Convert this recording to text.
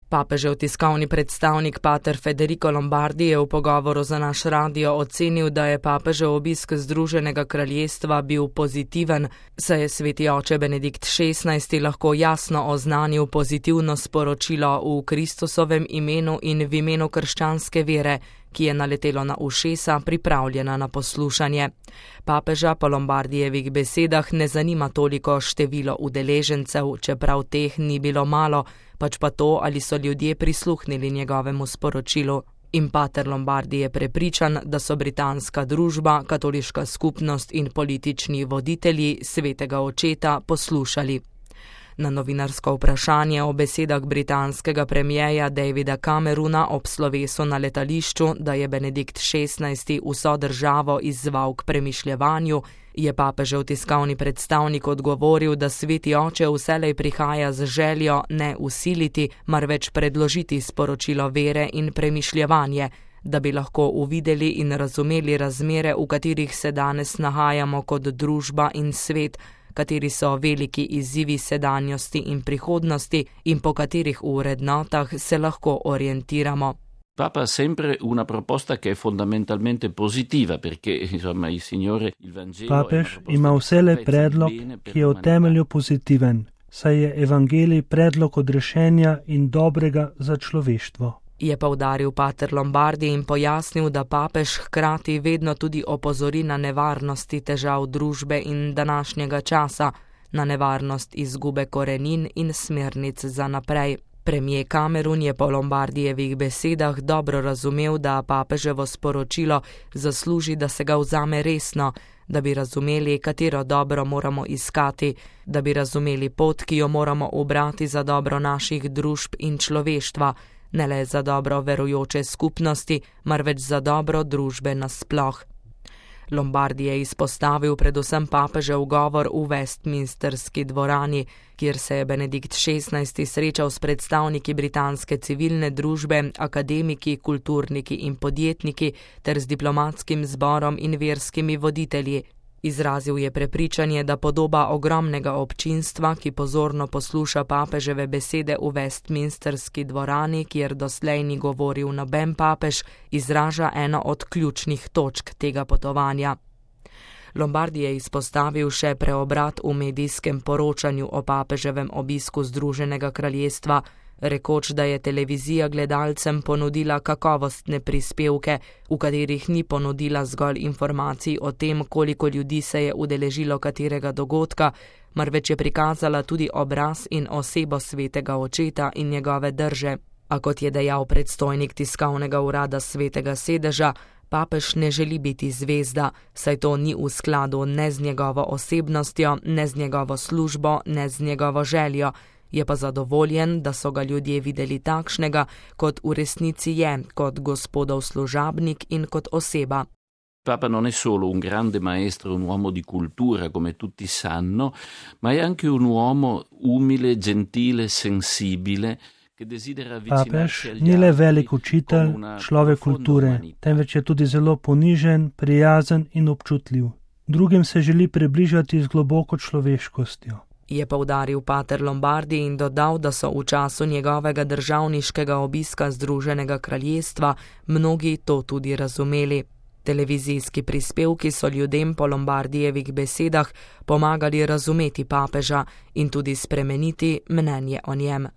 Papežev tiskovni predstavnik pater Federico Lombardi je v pogovoru za naš radio ocenil, da je papežev obisk Združenega kraljestva bil pozitiven, saj je sveti oče Benedikt XVI lahko jasno oznanil pozitivno sporočilo v Kristusovem imenu in v imenu krščanske vere, ki je naletelo na ušesa, pripravljena na poslušanje. Papeža po Lombardijevih besedah ne zanima toliko število udeležencev, čeprav teh ni bilo malo, pač pa to, ali so ljudje prisluhnili njegovemu sporočilu. In pater Lombardi je prepričan, da so britanska družba, katoliška skupnost in politični voditelji svetega očeta poslušali. Na novinarsko vprašanje o besedah britanskega premierja Davida Camerona ob slovesu na letališču, da je Benedikt XVI vso državo izzval k premišljevanju, je papežev tiskovni predstavnik odgovoril, da sveti oče vselej prihaja z željo ne usiliti, marveč predložiti sporočilo vere in premišljevanje, da bi lahko uvideli in razumeli razmere, v katerih se danes nahajamo kot družba in svet, kateri so veliki izzivi sedanjosti in prihodnosti in po katerih v vrednotah se lahko orientiramo. Papa ha sempre una proposta che è fondamentalmente positiva, perché insomma il Signore, il Vangelo. Papež ima vselej predlog, ki je v temelju pozitiven, saj je evangelij predlog odrešenja in dobrega za človeštvo. Je poudaril pater Lombardi in pojasnil, da papež hkrati vedno tudi opozori na nevarnosti težav družbe in današnjega časa, na nevarnost izgube korenin in smernic za naprej. Premier Cameron je po Lombardijevih besedah dobro razumel, da papeževo sporočilo zasluži, da se ga vzame resno, da bi razumeli, katero dobro moramo iskati, da bi razumeli pot, ki jo moramo ubrati za dobro naših družb in človeštva, ne le za dobro verujoče skupnosti, marveč za dobro družbe nasploh. Lombardi je izpostavil predvsem papežev govor v Westminsterski dvorani, kjer se je Benedikt XVI srečal s predstavniki britanske civilne družbe, akademiki, kulturniki in podjetniki ter z diplomatskim zborom in verskimi voditelji. Izrazil je prepričanje, da podoba ogromnega občinstva, ki pozorno posluša papeževe besede v Westminsterski dvorani, kjer doslej ni govoril noben papež, izraža eno od ključnih točk tega potovanja. Lombardi je izpostavil še preobrat v medijskem poročanju o papeževem obisku Združenega kraljestva, rekoč, da je televizija gledalcem ponudila kakovostne prispevke, v katerih ni ponudila zgolj informacij o tem, koliko ljudi se je udeležilo katerega dogodka, marveč je prikazala tudi obraz in osebo svetega očeta in njegove drže. A kot je dejal predstojnik tiskovnega urada svetega sedeža, papež ne želi biti zvezda, saj to ni v skladu ne z njegovo osebnostjo, ne z njegovo službo, ne z njegovo željo. Je pa zadovoljen, da so ga ljudje videli takšnega, kot v resnici je, kot gospodov služabnik in kot oseba. Papa non è solo un grande maestro, un uomo di cultura, come tutti sanno, ma è anche un uomo umile, gentile, sensibile, che desidera avvicinarsi agli altri. Papež ni le velik učitelj, človek kulture, temveč je tudi zelo ponižen, prijazen in občutljiv. Drugim se želi približati z globoko človeškostjo. Je poudaril pater Lombardi in dodal, da so v času njegovega državniškega obiska Združenega kraljestva mnogi to tudi razumeli. Televizijski prispevki so ljudem po Lombardijevih besedah pomagali razumeti papeža in tudi spremeniti mnenje o njem.